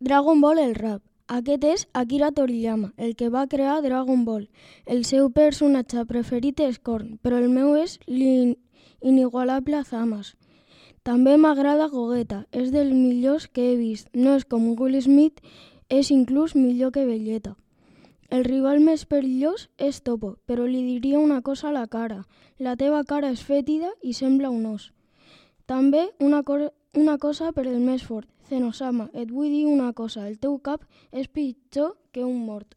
Dragon Ball el rap. Aquest és Akira Toriyama, el que va crear Dragon Ball. El seu personatge preferit és Korn, però el meu és l'inigualable Zamasu. També m'agrada Gogeta, és dels millors que he vist. No és com Will Smith, és inclús millor que Vegeta. El rival més perillós és Topo, però li diria una cosa a la cara. La teva cara és fètida i sembla un os. També una cosa per el més fort. Zenosama, et vull dir una cosa, el teu cap és pitjor que un mort.